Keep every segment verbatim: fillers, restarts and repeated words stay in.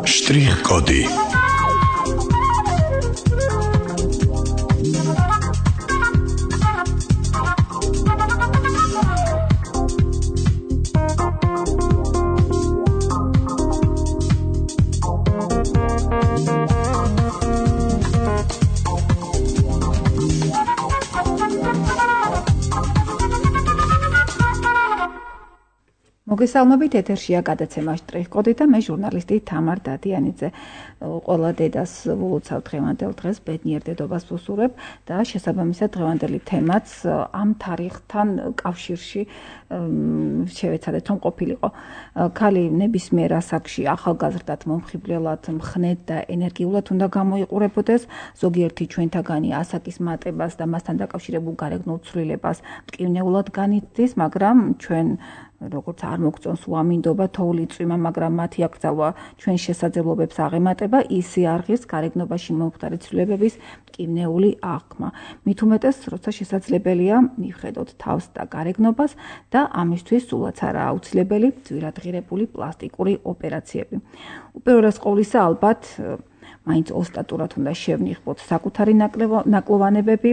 Штрих-коды. მოგესალმებით, ეთერშია გადაცემა შტრიხ-კოდი და მე ჟურნალისტი თამარ დადიანიძე. Ყველა დედას ვულოცავ დღევანდელ დღეს ბედნიერ დედობას ვუსურვებ და შესაბამისად დღევანდელი თემაც ამ თარიღთან კავშირში შევეცადეთ, რომ ყოფილიყო. Ქალი ნებისმიერ ასაკში ახალგაზრდად, მომხიბვლელად, მხნედ და ენერგიულად უნდა გამოიყურებოდეს. Ზოგიერთი ჩვენთაგანი ასაკის მატებას და მასთან დაკავშირებულ გარეგნულ ცვლილებას მტკივნეულად განიცდის, მაგრამ ჩვენ როგორც არ მოგწონს უამინდობა, თოვლი წვიმა, მაგრამ მათი აკრძალვა ჩვენ შესაძლებლობებს აღემატება, ისი არღის გარეგნობაში მომხდარი ცვლილებების მტკივნეული აღქმა. მით უმეტეს, როცა შესაძლებელია მივხედოთ თავს და გარეგნობას და ამისთვის სულაც არა აუცილებელი ძვირადღირებული პლასტიკური ოპერაციები. უპირველეს ყოვლისა, ალბათ, მაინც ოსტატურად უნდა შევნიხოთ საკუთარი ნაკლოვანებები,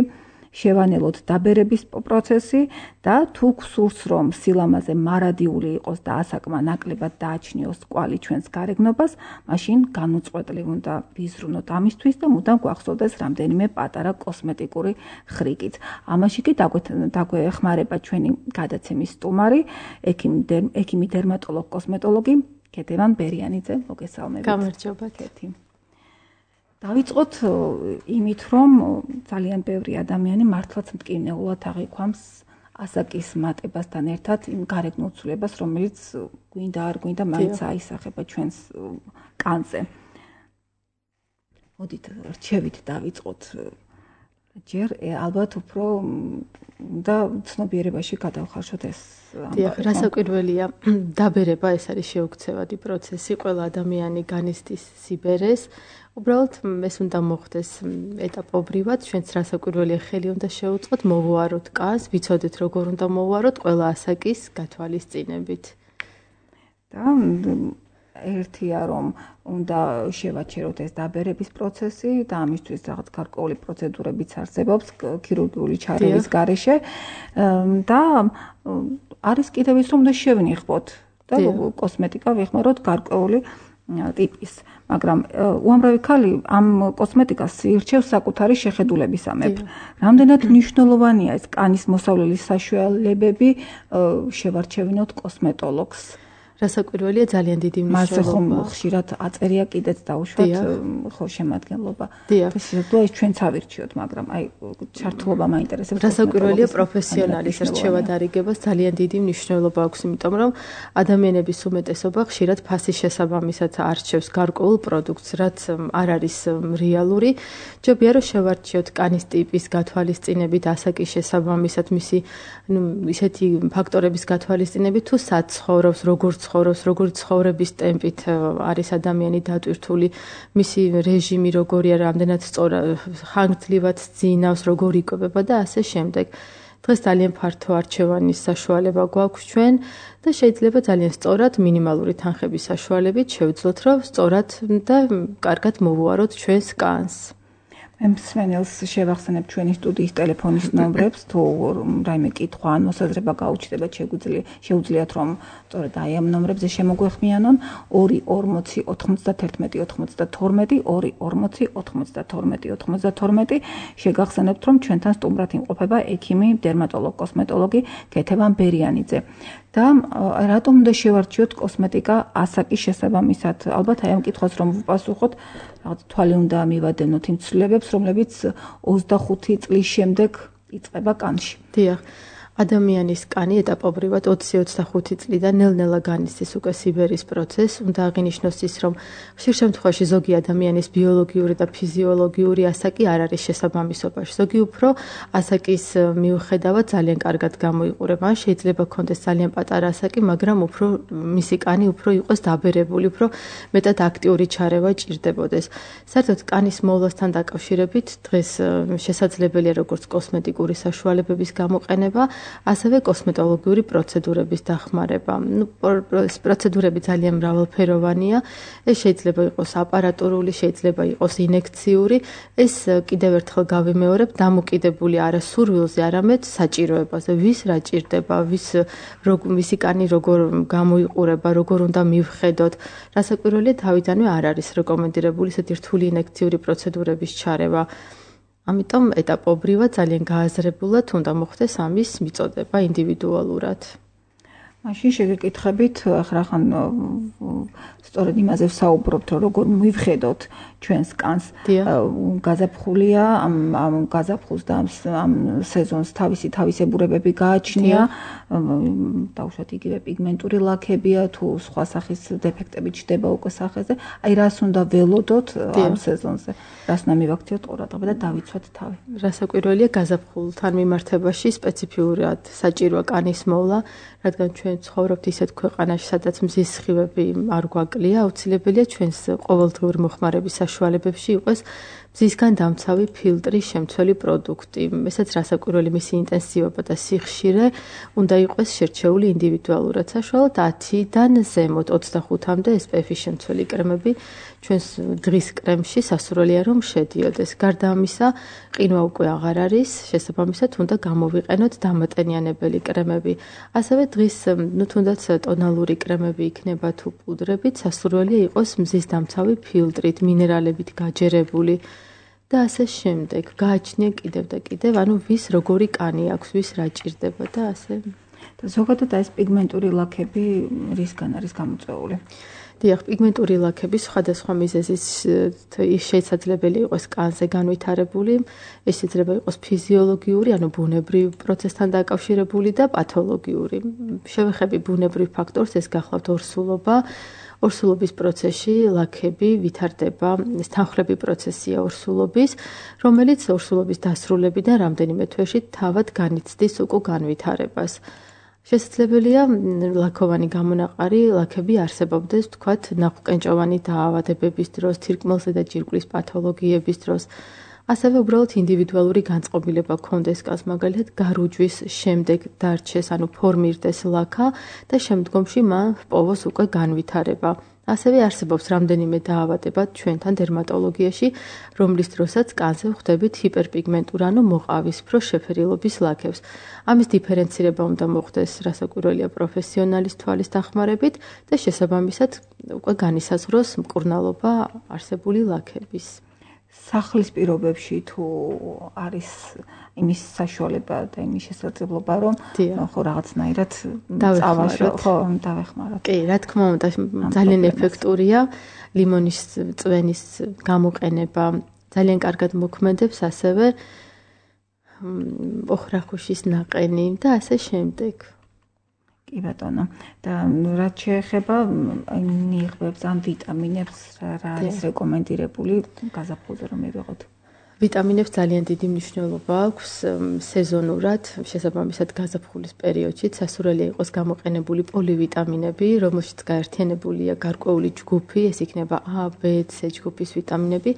შევანელოთ დაბერების პროცესი და თუ გსურს რომ სილამაზე მარადიული იყოს და ასაკმა ნაკლებად დააჩნიოს კვალი ჩვენს გარეგნობას, მაშინ განუწყვეტლივ უნდა ვიზრუნოთ ამისთვის და მუდამ გვახსოვდეს რამდენიმე პატარა კოსმეტიკური ხრიკიც. ამაში კი დაგვეხმარება ჩვენი გადაცემის სტუმარი, ექიმი დერმატოლოგ კოსმეტოლოგი ქეთევან ბერიანიძე. მოგესალმებით. გამარჯობა, ქეთი. დავიწყოთ იმით, რომ ძალიან ბევრი ადამიანი მართლაც მტკივნეულად აღიქვამს ასაკის მატებასთან ერთად იმ გარეგნულ ცვლილებას, რომელიც გვინდა არ გვინდა მაინც აისახება ჩვენს კანზე. მოდით რჩევით დავიწყოთ. ჯერ ალბათ უფრო და ცნობიერებაში გადავხარშოთ ეს. დიახ, რასაკვირველია, დაბერება ეს არის შეუქცევადი პროცესი, ყველა ადამიანი განიცდის სიბერეს. უბრალოდ ეს უნდა მოხდეს ეტაპობრივად, ჩვენც რასაკვირველია ხელი უნდა შევუწყოთ, მოვუაროთ კანს, ვიცოდეთ როგორ უნდა მოვუაროთ ყველა ასაკის გათვალისწინებით. და ერთია რომ უნდა შევაჩეროთ ეს დაბერების პროცესი და ამისთვის რაღაც გარკვეული პროცედურებიც არსებობს ქირურგიული ჩარევის გარეშე და არის კიდევ ის რომ უნდა შევნიხოთ და კოსმეტიკა ვიხმაროთ გარკვეული ტიპის, მაგრამ უამრავი ქალი ამ კოსმეტიკას ირჩევს საკუთარი შეხედულებისამებრ. Რამდენად მნიშვნელოვანია ეს კანის მოსავლელის საშუალებები შევარჩევინოთ კოსმეტოლოგს. რასაკვირველია ძალიან დიდი მნიშვნელობა. მას ხშირად აწერია კიდეც დაუშვათ ხო შემადგენლობა. და ეს ჩვენც ავირჩიოთ, მაგრამ აი ჩართულობა მაინტერესებს. რასაკვირველია პროფესიონალის რჩევა დარიგებას ძალიან დიდი მნიშვნელობა აქვს, იმიტომ რომ ადამიანების უმეტესობა ხშირად ფასის შესაბამისად არჩევს გარკვეულ პროდუქტს, რაც არ არის რეალური. ჯობია რომ შევარჩიოთ კანის ტიპის გათვალისწინებით, ასაკის შესაბამისად, მისი ისეთი ფაქტორების გათვალისწინებით, თუ სად ცხოვრობს, როგორ ცხოვრობს, როგორი ცხოვრების ტემპით არის ადამიანი დატვირთული, მისი რეჟიმი როგორია, რამდენად სწორა, ხანგრძლივად ძინავს, როგორ იკვებება და ასე შემდეგ. დღეს ძალიან ფართო არჩევანის საშუალება გვაქვს ჩვენ და შეიძლება ძალიან სწორად მინიმალური თანხების საშუალებით შევძლოთ, რომ სწორად და კარგად მოვუაროთ ჩვენს კანს. მე მსმენელს შევახსენებ ჩვენი სტუდიის ტელეფონის ნომრებს, თუ რაიმე კითხვა ან მოსაზრება გაუჩნდებათ, შეუძლიათ რომ სწორედ აი ამ ნომრებზე შემოგვეხმიანონ ორი ორმოცი ოთხმოცდათერთმეტი ოცმოცდათორმეტი ორი ორმოცი ოთხმოცდათორმეტი ოცმოცდათორმეტი შეგახსენებთ რომ ჩვენთან სტუმრად იმყოფება ექიმი დერმატოლოგ კოსმეტოლოგი ქეთევან ბერიანიძე. და რატომ უნდა შევარჩიოთ კოსმეტიკა ასაკის შესაბამისად? ალბათ აი ამ კითხვას რომ ვუპასუხოთ, რაღაც თვალი უნდა მივადენოთ იმ ცვლილებებს, რომლებიც ოცდახუთი წლის შემდეგ იწყება კანში. დიახ. ადამიანის კანი ეტაპობრივად ოცი ოცდახუთი წლიდან ნელ-ნელა განიცდის უკვე სიბერის პროცესს. უნდა აღინიშნოს ის, რომ ხშირ შემთხვევაში ზოგი ადამიანის ბიოლოგიური და ფიზიოლოგიური ასაკი არ არის შესაბამისობაში. ზოგი უფრო ასაკის მიუხედავად ძალიან კარგად გამოიყურება. ან შეიძლება ქონდეს ძალიან პატარა ასაკი, მაგრამ უფრო მისი კანი უფრო იყოს დაბერებული, უფრო მეტად აქტიური ჩარევა ჭირდებოდეს. საერთოდ კანის მოვლასთან დაკავშირებით დღეს შესაძლებელია როგორც კოსმეტიკური საშუალებების გამოყენება, ასევე კოსმეტოლოგიური პროცედურების დახმარება. ნუ პროცედურები ძალიან მრავალფეროვანია. ეს შეიძლება იყოს აპარატურული, შეიძლება იყოს ინექციური. ეს კიდევ ერთხელ გავიმეორებ, დამოკიდებული არა სურვილზე, არამედ საჭიროებაზე. ვის რა ჭირდება, ვის ვისი კანი როგორ გამოიყურება, როგორ უნდა მივხედოთ. რასაკვირველია, თავიდანვე არ არის რეკომენდირებული ესეთი რთული ინექციური პროცედურების ჩარევა. ამიტომ ეტაპობრივად ძალიან გააზრებულად უნდა მოხდეს ამის მიწოდება ინდივიდუალურად. მაშინ შეგეკითხებით, ახლა ხან სწორედ იმაზე ვსაუბრობთ, რომ როგორ მივხედოთ ჩვენს კანს. გაზაფხულია, ამ ამ გაზაფხულს და ამ სეზონს თავისი თავისებურებები გააჩნია. დაუშვათ იგივე პიგმენტური ლაქებია თუ სხვა სახის დეფექტები ჩდება უკვე სახეზე. აი რას უნდა ველოდოთ ამ სეზონზე? რას უნდა მივაქციოთ ყურადღება და დავიცვათ თავი? რასაკვირველია, გაზაფხულთან მიმართებაში სპეციფიურად საჭიროა კანის მოვლა, რადგან ჩვენ ცხოვრობთ ისეთ ქვეყანაში, სადაც მზის სხივები არ გვაკლია, აუცილებელია ჩვენს ყოველდღიურ მოხმარების საშუალებებში იყოს მზისგან დამცავი ფილტრის შემცველი პროდუქტი. ესაც რასაკვირველი მისი ინტენსივობა და სიხშირე უნდა იყოს შერჩეული ინდივიდუალურად. საშუალოდ ათიდან ზემოთ ოცდახუთამდე ეს პი ეფ-ის შემცველი კრემები ჩვენს დღის კრემში სასურველია რომ შედიოდეს. გარდა ამისა, ყინვა უკვე აღარ არის, შესაბამისად უნდა გამოვიყენოთ დამატენიანებელი კრემები. ასევე დღის ნუ თუნდაც ტონალური კრემები იქნება თუ პუდრებით, სასურველია იყოს მზის დამცავი ფილტრით, მინერალებით გაჯერებული. და ასე შემდეგ. გააჩნია კიდევ და კიდევ, ანუ ვის როგორი კანი აქვს, ვის რა ჭირდება და ასე. და ზოგადად ეს პიგმენტური ლაქები რისგან არის გამოწვეული? დიახ, პიგმენტური ლაქები სხვადასხვა მიზეზის შესაძლებელი იყოს კანზე განვითარებული, ეს შეიძლება იყოს ფიზიოლოგიური, ანუ ბუნებრივ პროცესთან დაკავშირებული და პათოლოგიური. შევეხები ბუნებრივ ფაქტორს, ეს გახლავთ ორსულობა. ორსულობის პროცესში ლაქები ვითარდება, ეს თანხლები პროცესია ორსულობის, რომელიც ორსულობის დასრულებიდან რამდენიმე თვეში თავად განიცდის უკვე განვითარებას. შესაძლებელია ლაქოვანი გამონაყარი ლაქები არსებობდეს, თქვათ, ნახვკენჭოვანი დაავადებების დროს, თირკმელზე და ჯირკვლის პათოლოგიების დროს. ასევე უბრალოდ ინდივიდუალური განწყობილება გქონდეს კანს, მაგალითად გარუჯვის შემდეგ დარჩეს, ანუ ფორმირდეს ლაქა და შემდგომში მან ჰპოვოს უკვე განვითარება. ასევე არსებობს რამდენიმე დაავადება ჩვენთან დერმატოლოგიაში, რომლის დროსაც კანზე ვხვდებით ჰიპერპიგმენტურ, ანუ მოყავისფრო შეფერილობის ლაქებს. ამის დიფერენცირება უნდა მოხდეს, რასაკვირველია პროფესიონალის თვალის დახმარებით და შესაბამისად უკვე განისაზღვროს მკურნალობა არსებული ლაქების. სახლის პირობებში თუ არის იმის საშუალება და იმის შესაძლებლობა, რომ ხო რაღაცნაირად დავეხმაროთ, ხო, დავეხმაროთ. კი, რა თქმა უნდა, ძალიან ეფექტურია ლიმონის წვენის გამოყენება, ძალიან კარგად მოქმედებს ასევე ოხრახუშის ნაყენი და ასე შემდეგ. კი ბატონო. და რაც შეეხება ნიღბებს, ან ვიტამინებს, რა არის რეკომენდირებული გაზაფხულზე რომ მივიღოთ? ვიტამინებს ძალიან დიდი მნიშვნელობა აქვს სეზონურად, შესაბამისად გაზაფხულის პერიოდში სასურველია იყოს გამოყენებული პოლივიტამინები, რომელშიც გაერთიანებულია გარკვეული ჯგუფი, ეს იქნება A, B, C ჯგუფის ვიტამინები,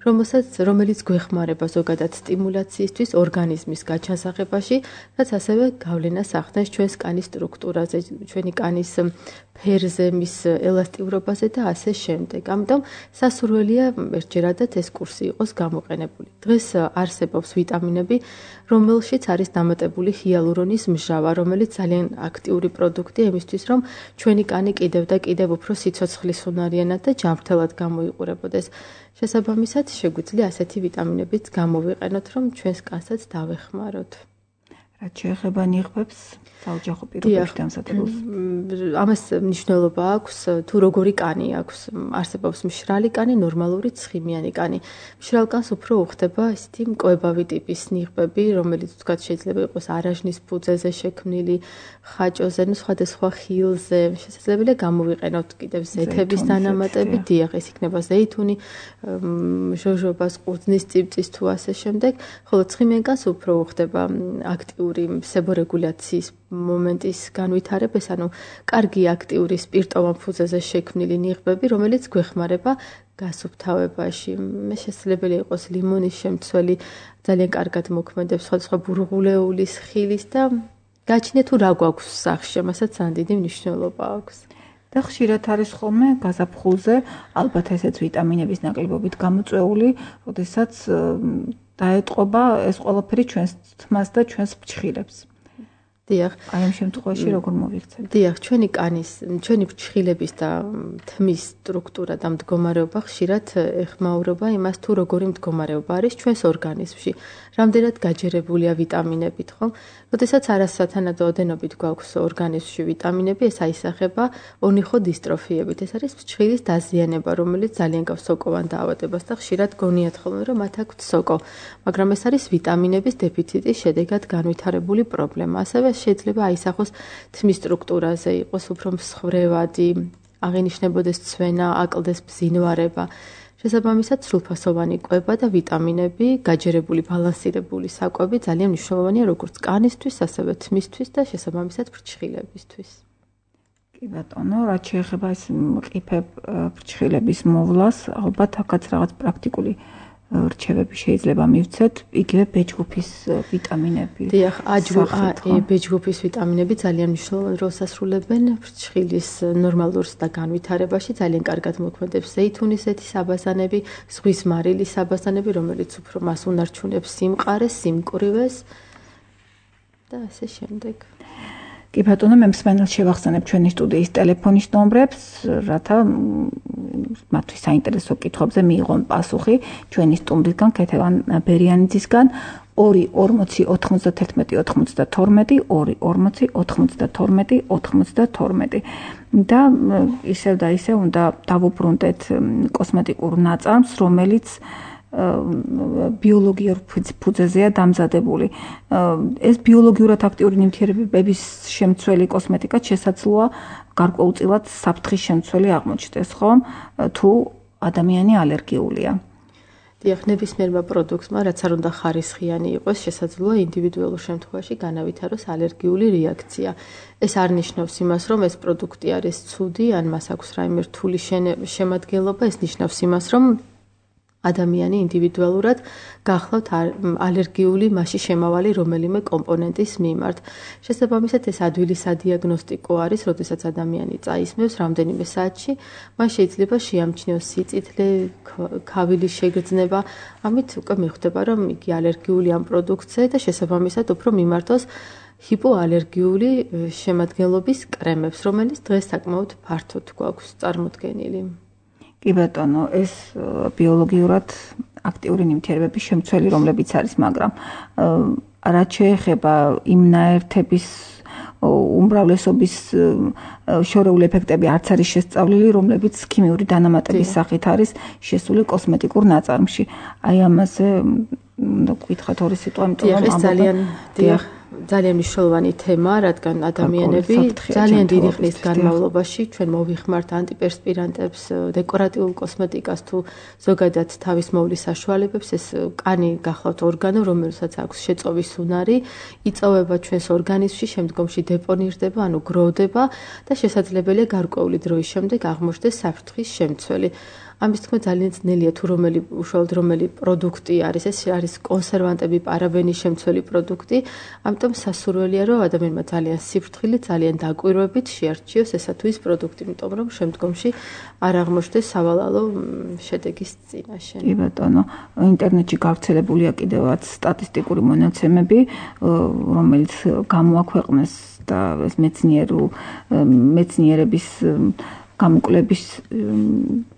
რომელსაც რომელიც გვეხმარება ზოგადად სტიმულაციისთვის ორგანიზმის გაჩანსაღებაში, რაც ასევე გავლენას ახდენს ჩვენს კანის სტრუქტურაზე, ჩვენი კანის ფერზე, მის ელასტიურობაზე და ასე შემდეგ. ამიტომ სასურველია ერთჯერადად ეს კურსი იყოს გამოყენებული. დღეს არსებობს ვიტამინები, რომელშიც არის დამატებული ჰიალურონის მჟავა, რომელიც ძალიან აქტიური პროდუქტია იმისთვის, რომ ჩვენი კანი კიდევ და კიდევ უფრო სიცოცხლისუნარიანად და ჯანმრთელად გამოიყურებოდეს. შესაბამისად, შეგვიძლია ასეთი ვიტამინებიც გამოვიყენოთ, რომ ჩვენს კანსაც დავეხმაროთ. რაც შეეხება ნიღბებს, საოჯახო პირობებში დამზადებულს. ამას მნიშვნელობა აქვს, თუ როგორი კანი აქვს. არსებობს მშრალი კანი, ნორმალური ცხიმიანი კანი. მშრალ კანს უფრო უხდება ისეთი მკვებავი ტიპის ნიღბები, რომელიც თქვათ შეიძლება იყოს არაჟნის ფუძეზე შექმნილი, ხაჭოზე, ნუ სხვადასხვა ხილზე. შესაძლებელია გამოვიყენოთ კიდევ ზეთების დანამატები, დიახ, ეს იქნება ზეითუნი, ჟოჟობას, ყურძნის წივწის თუ ასე შემდეგ, ხოლო ცხიმიან კანს უფრო უხდება აქტიური სებორეგულაციის მომენტის განვითარებას, ანუ კარგი აქტიური სპირტოვან ფუძეზე შექმნილი ნიღბები, რომელიც გვეხმარება გასუფთავებაში. მე შესაძლებელია იყოს ლიმონის შემცველი, ძალიან კარგად მოქმედებს სხვადასხვა ბურღულეულის, ხილის და გაჩნია თუ რა გვაქვს სახში, მასაც ძალიან დიდი მნიშვნელობა აქვს. და ხშირად არის ხოლმე გაზაფხულზე, ალბათ ესეც ვიტამინების ნაკლებობით გამოწვეული, როდესაც დაეტყობა ეს ყველაფერი ჩვენს თმას და ჩვენს ფრჩხილებს. დიახ, აი ამ შემთხვევაში როგორ მოვიქცეთ? დიახ, ჩვენი კანის, ჩვენი ფრჩხილების და თმის სტრუქტურა და მდგომარეობა ხშირად ეხმაურება იმას, თუ როგორი მდგომარეობა არის ჩვენს ორგანიზმში. რამდენად გაჯერებულია ვიტამინებით, ხო? როდესაც არასათანადო ოდენობით გვაქვს ორგანიზმში ვიტამინები, ეს აისახება ონიხო დისტროფიებით. ეს არის ფრჩხილის დაზიანება, რომელიც ძალიან გავს სოკოვან დაავადებას და ხშირად გონიათ ხოლმე, რომ მათ აქვთ სოკო. მაგრამ ეს არის ვიტამინების დეფიციტის შედეგად განვითარებული პრობლემა. ასევე შეიძლება აისახოს თმის სტრუქტურაზე, იყოს უფრო მსხვერვადი, აღინიშნებოდეს ცვენა, აკლდეს ბზინვარება. შესაბამისად, სრულფასოვანი კვება და ვიტამინები, გაჯერებული, ბალანსირებული საკვები ძალიან მნიშვნელოვანია როგორც კანისთვის, ასევე თმისთვის და შესაბამისად ფრჩხილებისთვის. კი ბატონო, რაც შეეხება ეს მყიფე ფრჩხილების მოვლას, ალბათ აქაც რაღაც პრაქტიკული რჩევები შეიძლება მივცეთ, იგივე B ჯგუფის ვიტამინები. დიახ, B ჯგუფის ვიტამინები ძალიან მნიშვნელოვან როლს ასრულებენ ფრჩხილის ნორმალურს და განვითარებაში, ძალიან კარგად მოქმედებს ზეითუნის ზეთის აბაზანები, ზღვის მარილის აბაზანები, რომელიც უფრო მას უნარჩუნებს სიმყარეს, სიმკვრივეს და ასე შემდეგ. კი ბატონო, მე მსმენელს შევახსენებ ჩვენი სტუდიის ტელეფონის ნომრებს, რათა მათთვის საინტერესო კითხვებზე მიიღონ პასუხი ჩვენი სტუმრისგან, ქეთევან ბერიანიძისგან ორი ორმოცი ოთხმოცდათერთმეტი ოცდათორმეტი, ორი ორმოცი ოთხმოცდათორმეტი ოცდათორმეტი და ისევ და ისევ უნდა დავუბრუნდეთ კოსმეტიკურ ნაწარმს, რომელიც ბიოლოგიურ ფუძეზეა დამზადებული. ეს ბიოლოგიურად აქტიური ნივთიერებების შემცველი კოსმეტიკა შესაძლოა გარკვეულწილად საფრთხის შემცველი აღმოჩნდეს, ხომ? თუ ადამიანი ალერგიულია. დიახ, ნებისმიერმა პროდუქტმა, რაც არ უნდა ხარისხიანი იყოს, შესაძლოა ინდივიდუალურ შემთხვევაში განავითაროს ალერგიული რეაქცია. ეს არ ნიშნავს იმას, რომ ეს პროდუქტი არის ცუდი, ან მას აქვს რაიმე რთული შემადგენლობა, ეს ნიშნავს იმას, რომ ადამიანი ინდივიდუალურად გახლავთ ალერგიული მასში შემავალი რომელიმე კომპონენტის მიმართ. შესაბამისად, ეს ადვილი სადიაგნოსტიკო არის, როდესაც ადამიანი წაისმევს რამდენიმე საათში, მას შეიძლება შეამჩნიოს სიწითლე, ქავილის შეგრძნება, ამით უკვე მიხვდება, რომ იგი ალერგიული ამ პროდუქტზე და შესაბამისად უფრო მიმართოს ჰიპოალერგიული შემადგენლობის კრემებს, რომელიც დღეს საკმაოდ ფართოდ გვაქვს წარმოდგენილი. კი ბატონო, ეს ბიოლოგიურად აქტიური ნივთიერებების შემცველი, რომლებიც არის, მაგრამ რაც შეეხება იმ ნაერთების უმრავლესობის შორეული ეფექტები არც არის შესწავლილი, რომლებიც ქიმიური დანამატების სახით არის შესული კოსმეტიკურ ნაწარმში. აი ამაზე უნდა გკითხოთ ორი სიტყვა, იმიტომ რომ ეს ძალიან დიახ ძალიან მნიშვნელოვანი თემა, რადგან ადამიანები ძალიან დიდი ხნის განმავლობაში ჩვენ მოვიხმართ ანტიპერსპირანტებს, დეკორატიულ კოსმეტიკას თუ ზოგადად თავის მოვლის საშუალებებს, ეს კანი გახლავთ ორგანო, რომელსაც აქვს შეწოვის უნარი, იწოვება ჩვენს ორგანიზმში, შემდგომში დეპონირდება, ანუ გროვდება და შესაძლებელია გარკვეული დროის შემდეგ აღმოჩნდეს საფრთხის შემცველი. ამის თქმა ძალიან ძნელია თუ რომელი უშუალოდ რომელი პროდუქტი არის, ეს არის კონსერვანტები, პარაბენის შემცველი პროდუქტი, ამიტომ სასურველია, რომ ადამიანმა ძალიან სიფრთხილით, ძალიან დაკვირვებით შეარჩიოს ესა თუ ის პროდუქტი, იმიტომ რომ შემდგომში არ აღმოჩნდეს სავალალო შედეგის წინაშე. კი ბატონო, ინტერნეტში გავრცელებულია კიდევაც სტატისტიკური მონაცემები, რომელიც გამოაქვეყნეს და ეს მეცნიერულ მეცნიერების გამოკვლევის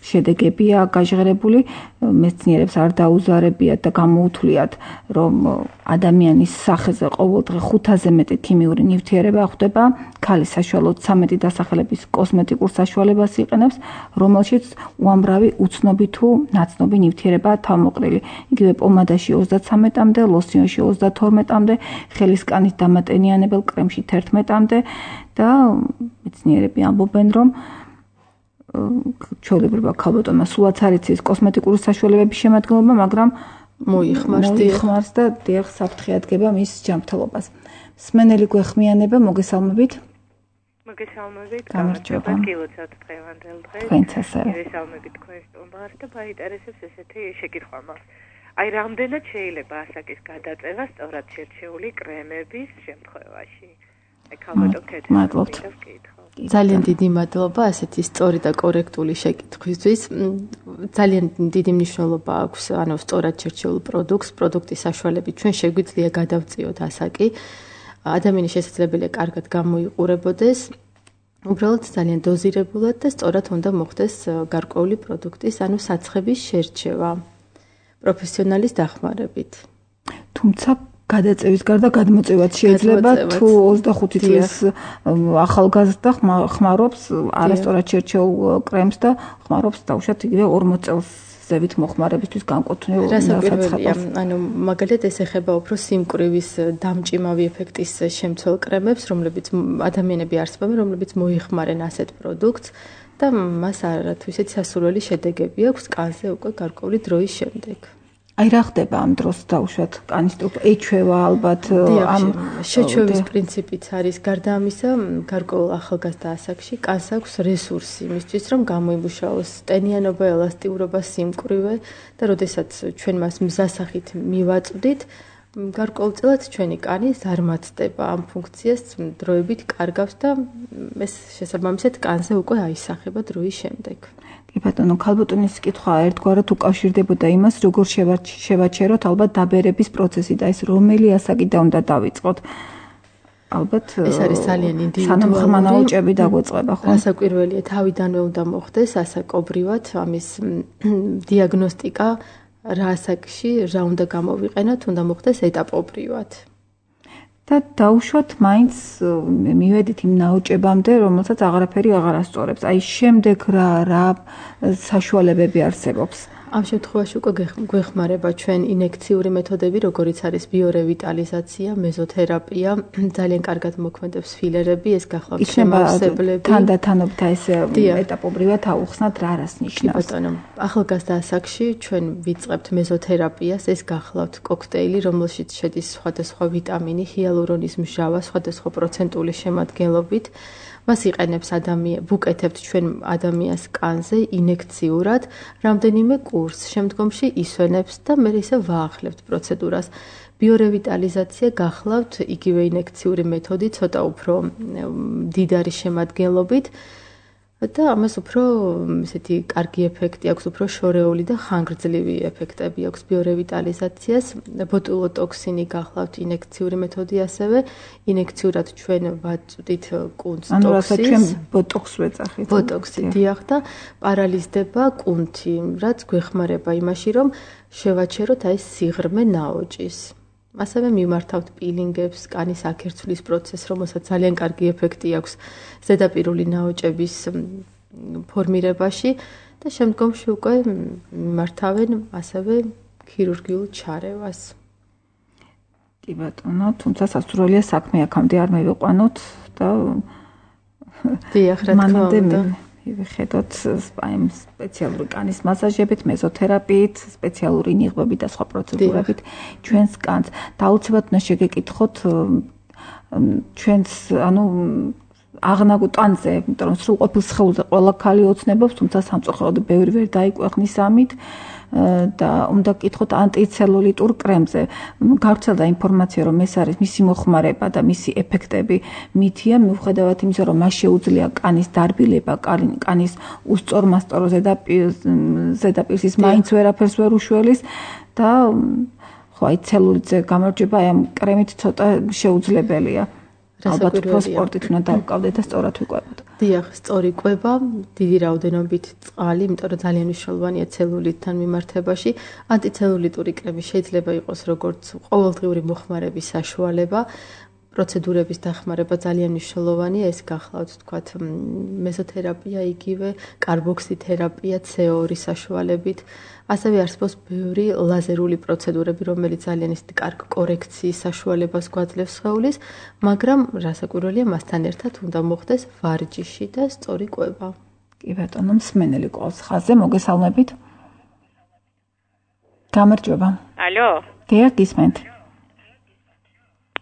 შედეგებია გაჟღერებული, მეცნიერებს არ დაუზარებიათ და გამოუთვლიათ, რომ ადამიანის სახეზე ყოველდღე ხუთაზე მეტი ქიმიური ნივთიერება ხვდება, ქალი საშუალოდ ცამეტი დასახელების კოსმეტიკურ საშუალებას იყენებს, რომელშიც უამრავი უცნობი თუ ნაცნობი ნივთიერებაა თავმოყრილი. იგივე პომადაში ოცდაცამეტამდე, ლოსიონში ოცდათორმეტამდე, ხელისკანით დამატენიანებელ კრემში თერთმეტამდე და მეცნიერები ამბობენ, რომ ჩვეულებრივ ქალბატონმა სულაც არ იცის კოსმეტიკური საშუალებების შემადგენლობა, მაგრამ მოიხმარს და დიახ საფრთხე ადგება მის ჯანმრთელობას. მსმენელი გვეხმიანება, მოგესალმებით. მოგესალმებით, გამარჯობა, გილოცავთ დღევანდელ დღეს. თქვენც ასევე. მოგესალმებით თქვენ სტუმარს და მაინტერესებს ესეთი შეკითხვა მაქვს. აი, რამდენად შეიძლება ასაკის გადაწევა სწორად შერჩეული კრემების შემთხვევაში? ეგ ალბათ კეთილ. მადლობთ. ძალიან დიდი მადლობა ასეთი სწორი და კორექტული შეკითხვისთვის. ძალიან დიდი მნიშვნელობა აქვს ანუ სწორად შერჩეულ პროდუქტს, პროდუქტის საშუალებით ჩვენ შეგვიძლია გადავწიოთ ასაკი. ადამიანის შესაძლებელია კარგად გამოიყურებოდეს. უბრალოდ ძალიან დოზირებულად და სწორად უნდა მოხდეს გარკვეული პროდუქტის, ანუ საცხების შერჩევა პროფესიონალის დახმარებით. თუმცა გადაწევის გარდა გადმოწევაც შეიძლება თუ ოცდახუთი წლის ახალგაზრდა ხმარობს არასწორად შერჩეულ კრემს და ხმარობს დაუშვათ იგივე ორმოც წელს ზევით მოხმარებისთვის განკუთვნილ საცხებას. ანუ მაგალითად ეს ეხება უფრო სიმკვრივის დამჭიმავი ეფექტის შემცველ კრემებს, რომლებიც ადამიანები არსებობენ, რომლებიც მოიხმარენ ასეთ პროდუქტს და მას არათუ ისეთი სასურველი შედეგები აქვს კანზე უკვე გარკვეული დროის შემდეგ. აი რა ხდება ამ დროს დაუშვათ კანის ეჩვევა ალბათ ამ შეჩვევის პრინციპიც არის გარდა ამისა გარკვეულ ახალგაზრდა ასაკში კანს აქვს რესურსი იმისთვის რომ გამოიმუშაოს ტენიანობა, ელასტიურობა, სიმკვრივე და როდესაც ჩვენ მას მზასახით მივაწვდით გარკვეულწილად ჩვენი კანი ზარმაცდება ამ ფუნქციას დროებით კარგავს და ეს შესაბამისად კანზე უკვე აისახება დროის შემდეგ. კი ბატონო, ქალბატონის კითხვა ერთგვარად უკავშირდებოდა იმას, როგორ შევაჩეროთ ალბათ დაბერების პროცესი და ეს რომელი ასაკიდან უნდა დავიწყოთ. ალბათ ეს არის ძალიან ინდივიდუალური. სანამ ხმა ნაოჭები დაგვეწყება, ხო? ასაკვირველია, თავიდანვე უნდა მოხდეს ასაკობრივად ამის დიაგნოსტიკა, რა ასაკში რა უნდა გამოვიყენოთ, უნდა მოხდეს ეტაპობრივად. და დაუშვათ მაინც მივედით იმ ნაოჭებამდე, რომელსაც აღარაფერი აღარ ასწორებს. აი შემდეგ რა რა საშუალებები არსებობს? ამ შემთხვევაში უკვე გვეხმარება ჩვენ ინექციური მეთოდები, როგორიც არის ბიორევიტალიზაცია, მეზოთერაპია, ძალიან კარგად მოქმედებს ფილერები, ეს გახლავთ შემავსებლები. თანდათანობით ეს ეტაპობრივად აუხსნათ რა რას ნიშნავს? ბატონო, ახალგაზრდა ასაკში ჩვენ ვიწყებთ მეზოთერაპიას, ეს გახლავთ კოქტეილი, რომელშიც შედის სხვადასხვა ვიტამინი, ჰიალურონის მჟავა, სხვადასხვა პროცენტული შემადგენლობით. მას იყენებს ადამიანი, ვუკეთებთ ჩვენ ადამიანს კანზე ინექციურად, რამდენიმე კურსს, შემდგომში ისვენებს და მე ისე ვაახლებთ პროცედურას. ბიორევიტალიზაცია გახლავთ იგივე ინექციური მეთოდი, ცოტა უფრო მდიდარი შემადგენლობით და ამას უფრო ესეთი კარგი ეფექტი აქვს, უფრო შორეული და ხანგრძლივი ეფექტები აქვს ბიორევიტალიზაციას. ბოტულოტოქსინი გახლავთ ინექციური მეთოდი ასევე, ინექციურად ჩვენ ვაწვდით კუნთს ტოქსინს. ანუ რასაც ჩვენ ბოტოქს ვეძახით. ბოტოქსი დიახ და პარალიზდება კუნთი, რაც გვეხმარება იმაში, რომ შევაჩეროთ აი სიღრმე ნაოჭის. ასევე მიმართავთ პილინგებს, კანის აქერცვლის პროცესს, რომელსაც ძალიან კარგი ეფექტი აქვს ზედაპირული ნაოჭების ფორმირებაში და შემდგომში უკვე მიმართავენ ასევე ქირურგიულ ჩარევას. კი ბატონო, თუმცა სასურველია საქმე აქამდე არ მივიყვანოთ და დიახ, რა თქმა უნდა. ვიხედოთ სპაიმ სპეციალური კანის მასაჟებით, მეზოთერაპიით, სპეციალური ნიღბებით და სხვა პროცედურებით ჩვენს კანს. და აუცილებლად უნდა შეგეკითხოთ ჩვენს, ანუ აღნაგ ტანზე, იმიტომ რომ სრულყოფილ სხეულზე ყველა ქალი ოცნებობს, თუმცა სამწუხაროდ ბევრი ვერ დაიკვეხნის ამით. და უნდა გკითხოთ ანტიცელულიტურ კრემზე. გავრცელდა ინფორმაცია, რომ ეს არის მისი მოხმარება და მისი ეფექტები მითია, მიუხედავად იმისა, რომ მას შეუძლია კანის დარბილება, კანის უსწორმასწორო ზედაპირს ის მაინც ვერაფერს ვერ უშველის და ხო, აი ცელულიტზე გამარჯვება აი ამ კრემით ცოტა შეუძლებელია. ალბათ უფრო სპორტით უნდა დავკავდეთ და სწორად ვიკვებოთ. დიახ, სწორი კვება, დიდი რაოდენობით წყალი, იმიტომ რომ ძალიან მნიშვნელოვანია ცელულიტთან მიმართებაში. ანტიცელულიტური კრემი შეიძლება იყოს როგორც ყოველდღიური მოხმარების საშუალება, პროცედურების დახმარება ძალიან მნიშვნელოვანია, ეს გახლავთ თქვათ მეზოთერაპია, იგივე კარბოქსითერაპია ცე ორი საშუალებით. ასევე არსებობს ბევრი ლაზერული პროცედურები, რომელიც ძალიან ისეთი კარგ კორექციის საშუალებას გვაძლევს სხეულის, მაგრამ რასაკვირველია, მასთან ერთად უნდა მოხდეს ვარჯიში და სწორი კვება. კი ბატონო, მსმენელი ყავს ხაზზე, მოგესალმებით. გამარჯობა. ალო. დიახ, გისმენთ.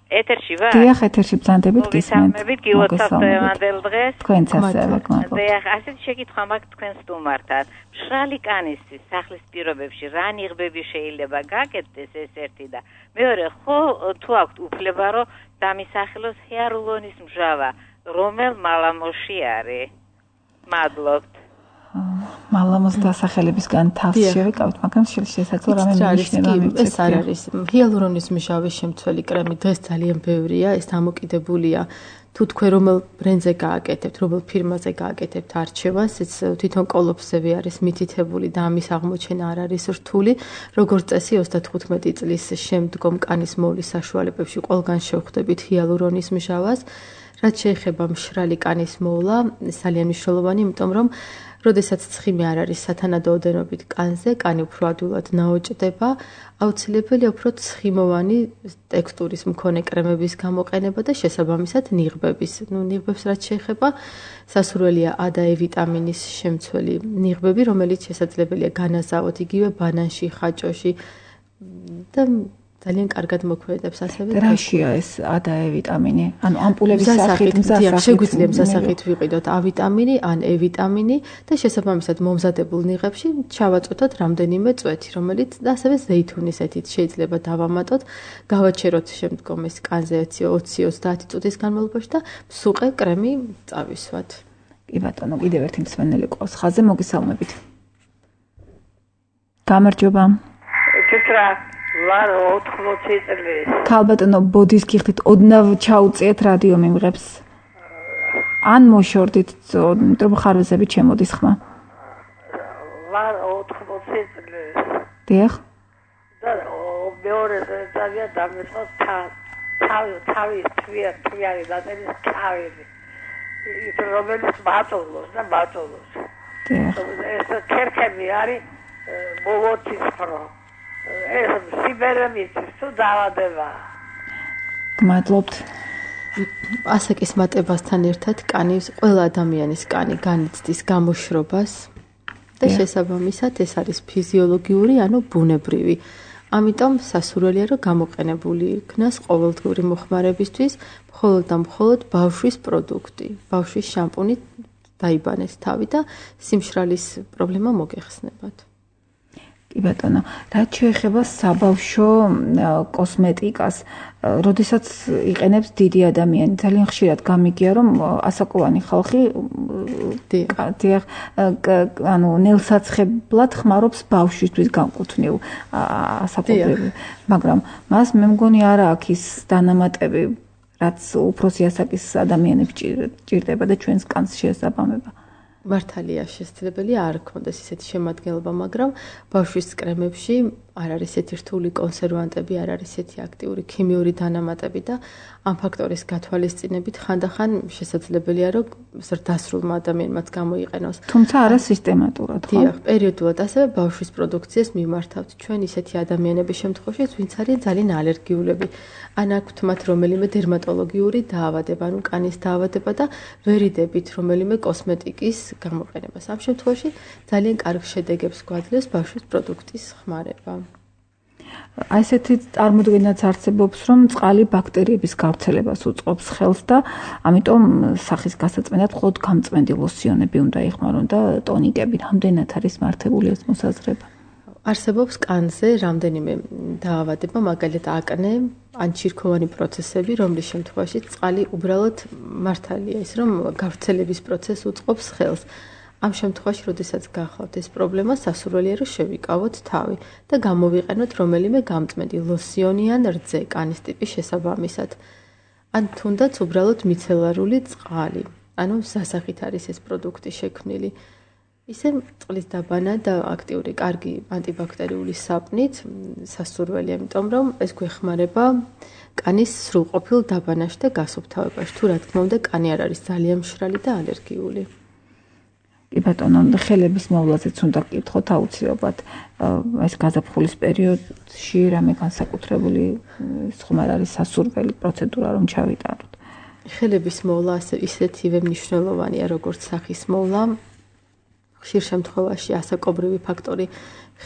ეთერში ვარ? დიახ, ეთერში ბრძანდებით გისმენთ. მოგესალმებით, გილოცავთ დღევანდელ დღეს. თქვენც ასევე გმადლობთ. დიახ, ასეთი შეკითხვა მაქვს თქვენ სტუმართან. მშრალი კანისთვის სახლის პირობებში რა ნიღბები შეიძლება გაკეთდეს ეს ერთი და მეორე, ხო თუ აქვთ უფლება რომ დამისახელოს ჰიალურონის მჟავა, რომელ მალამოში არის? მადლობთ. მალამოს დასახელებისგან თავს შევეკავთ, მაგრამ შესაძლოა რამე მინიშნება მიწევთ. ეს არ არის ჰიალურონის მჟავის შემცველი კრემი, დღეს ძალიან ბევრია, ეს დამოკიდებულია თუ თქვენ რომელ ბრენდზე გააკეთებთ, რომელ ფირმაზე გააკეთებთ არჩევანს, ეს თვითონ კოლოფსები არის მითითებული და ამის აღმოჩენა არ არის რთული. როგორც წესი ოცდათხუთმეტი წლის შემდგომ კანის მოვლის საშუალებებში ყველგან შევხვდებით ჰიალურონის მჟავას. რაც შეეხება მშრალი კანის მოვლა, ძალიან მნიშვნელოვანი, იმიტომ რომ როდესაც ცხიმი არ არის სათანადო ოდენობით კანზე, კანი უფრო ადვილად ნაოჭდება, აუცილებელია უფრო ცხიმოვანი ტექსტურის მქონე კრემების გამოყენება და შესაბამისად ნიღბების. ნუ ნიღბებს რაც შეეხება, სასურველია A და E ვიტამინის შემცველი ნიღბები, რომელიც შესაძლებელია განაზავოთ იგივე ბანანში, ხაჭოში და ძალიან კარგად მოქმედებს ასევე. რაშია ეს A და E ვიტამინი? ანუ ამპულების სახით, მზასახით, შეგვიძლია მზასახით ვიყიდოთ A ვიტამინი, ან E ვიტამინი და შესაბამისად მომზადებულ ნიღბებში ჩავაწყვეტოთ რამდენიმე წვეთი, რომელიც და ასევე ზეითუნის ეთით შეიძლება დავამატოთ, გავაჩეროთ შემდგომ ეს კანზე ოცი ოცდაათი წუთის განმავლობაში და მსუყე კრემი წავისვათ. კი ბატონო, კიდევ ერთი მსმენელი ყავს ხაზზე, მოგესალმებით. გამარჯობა. კეთრა ვარ ოთხმოცი წლის. ქალბატონო, ბოდის გიხდით ოდნავ ჩაუწიეთ რადიო მიმღებს. ან მოშორდით, იმიტომ რომ ხარვეზები ჩემოდის ხმა. ვარ ოთხმოცი წლის. დიახ. და მეორე ძალიან დამეწყო თავი თავი თვია თვიანი დაწევის თავი. ის რომელიც ბატონოს და ბატონოს. დიახ. ეს ქერქები არის მოვოთის ხრო. ეს სიბერემიც თუ დაავადება. გმადლობთ. ასაკის მატებასთან ერთად კანის ყველა ადამიანის კანი განიცდის გამოშრობას და შესაბამისად ეს არის ფიზიოლოგიური, ანუ ბუნებრივი. ამიტომ სასურველია რომ გამოყენებული იქნას ყოველდღიური მოხმარებისთვის მხოლოდ და მხოლოდ ბავშვის პროდუქტი, ბავშვის შამპუნი დაიბანეს თავი და სიმშრალის პრობლემა მოგეხსნებათ. კი ბატონო, რაც შეეხება საბავშვო კოსმეტიკას, როდესაც იყენებს დიდი ადამიანი, ძალიან ხშირად გამიგია, რომ ასაკოვანი ხალხი დიახ, ანუ ნელსაცხებლად ხმარობს ბავშვისთვის განკუთვნილ ასაკობრივ, მაგრამ მას მე მგონი არა აქვს ის დანამატები, რაც უფროსი ასაკის ადამიანებს ჭირდება და ჩვენს კანს შეესაბამება. მართალია შესაძლებელია არ ქონდეს ისეთი შემადგენლობა, მაგრამ ბავშვის კრემებში არ არის ესეთი რთული კონსერვანტები, არ არის ესეთი აქტიური ქიმიური დანამატები და ამ ფაქტორის გათვალისწინებით ხანდახან შესაძლებელია რომ ზრდასრულმა ადამიანმაც გამოიყენოს. თუმცა არა სისტემატურად, ხო? დიახ, პერიოდულად ასევე ბავშვის პროდუქციას მიმართავთ. ჩვენ ისეთი ადამიანების შემთხვევაში, ვინც არიან ძალიან ალერგიულები, ან აქვთ მათ რომელიმე დერმატოლოგიური დაავადება, ანუ კანის დაავადება და ვერიდებით რომელიმე კოსმეტიკის გამოყენებას. ამ შემთხვევაში ძალიან კარგ შედეგებს გვაძლევს ბავშვის პროდუქტის ხმარება. აი ესეთი წარმოდგენაც არსებობს, რომ წყალი ბაქტერიების გავრცელებას უწყობს ხელს და ამიტომ სახის გასაწმენდად მხოლოდ გამწმენდი ლოსიონები უნდა იხმარონ და ტონიკები. რამდენად არის მართებული ეს მოსაზრება? არსებობს კანზე რამდენიმე დაავადება, მაგალითად აკნე, ან ჩირქოვანი პროცესები, რომლის შემთხვევაში წყალი უბრალოდ მართალია ის, რომ გავრცელების პროცესს უწყობს ხელს. ამ შემთხვევაში, როდესაც გახავთ ეს პრობლემა, სასურველია რომ შევიკავოთ თავი და გამოვიყენოთ რომელიმე გამწმენდი ლოსიონი ან რძე კანის ტიპის შესაბამისად. ან თუნდაც უბრალოდ მიცელარული წყალი. ანუ სასახით არის ეს პროდუქტი შექმნილი. ისე წყლის დაბანა და აქტიური კარგი ანტიბაქტერიული საპნით სასურველია, იმიტომ რომ ეს გვეხმარება კანის სრულყოფილ დაბანაში და გასუფთავებაში. თუ რა თქმა უნდა, კანი არ არის ძალიან მშრალი და ალერგიული. კი ბატონო, ხელების მოვლაზეც უნდა გკითხოთ აუცილებლად. ეს გაზაფხულის პერიოდში რამე განსაკუთრებული ხმარ არის სასურველი პროცედურა რომ ჩავიტაროთ. ხელების მოვლა ისეთივე მნიშვნელოვანია, როგორც სახის მოვლა. ხშირ შემთხვევაში ასაკობრივი ფაქტორი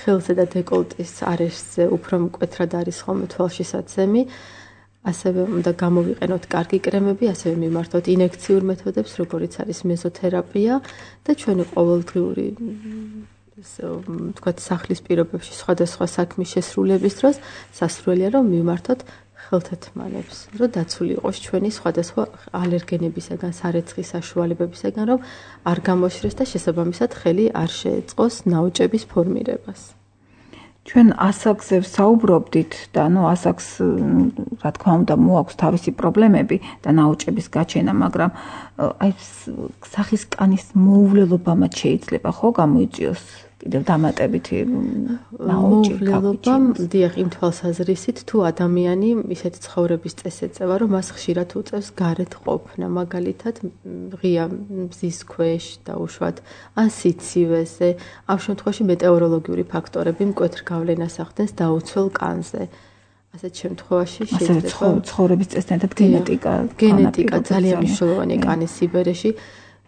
ხელზე და დეკოლტის არეშზე უფრო მკვეთრად არის ხოლმე თვალშისაცემი. ასევე უნდა გამოვიყენოთ კარგი კრემები, ასევე მიმართოთ ინექციურ მეთოდებს, როგორიც არის მეზოთერაპია და ჩვენი ყოველდღიური თქვათ სახლის პირობებში სხვადასხვა საქმის შესრულების დროს სასურველია რომ მიმართოთ ხელთათმანებს, რომ დაცული იყოს ჩვენი სხვადასხვა ალერგენებისაგან, სარეცხის საშუალებებისაგან, რომ არ გამოშრეს და შესაბამისად ხელი არ შეეწყოს ნაოჭების ფორმირებას. ჩვენ ასაკზე ვსაუბრობდით და ნუ ასაკს რა თქმა უნდა მოაქვს თავისი პრობლემები და ნაოჭების გაჩენა, მაგრამ აი სახის კანის მოუვლელობა მათ შეიძლება ხო გამოიწვიოს კიდევ დამატებითი მოუვლელობა, დიახ, იმ თვალსაზრისით, თუ ადამიანი ისეთ ცხოვრების წესს ეწევა, რომ მას ხშირად უწევს გარეთ ყოფნა, მაგალითად, ღია მზის ქვეშ და უშუალოდ ან სიცივეზე, ამ შემთხვევაში მეტეოროლოგიური ფაქტორები მკვეთრ გავლენას ახდენს დაუცველ კანზე. ასეთ შემთხვევაში შეიძლება ცხოვრების წესთან ერთად გენეტიკა, გენეტიკა ძალიან მნიშვნელოვანია კანის სიბერეში.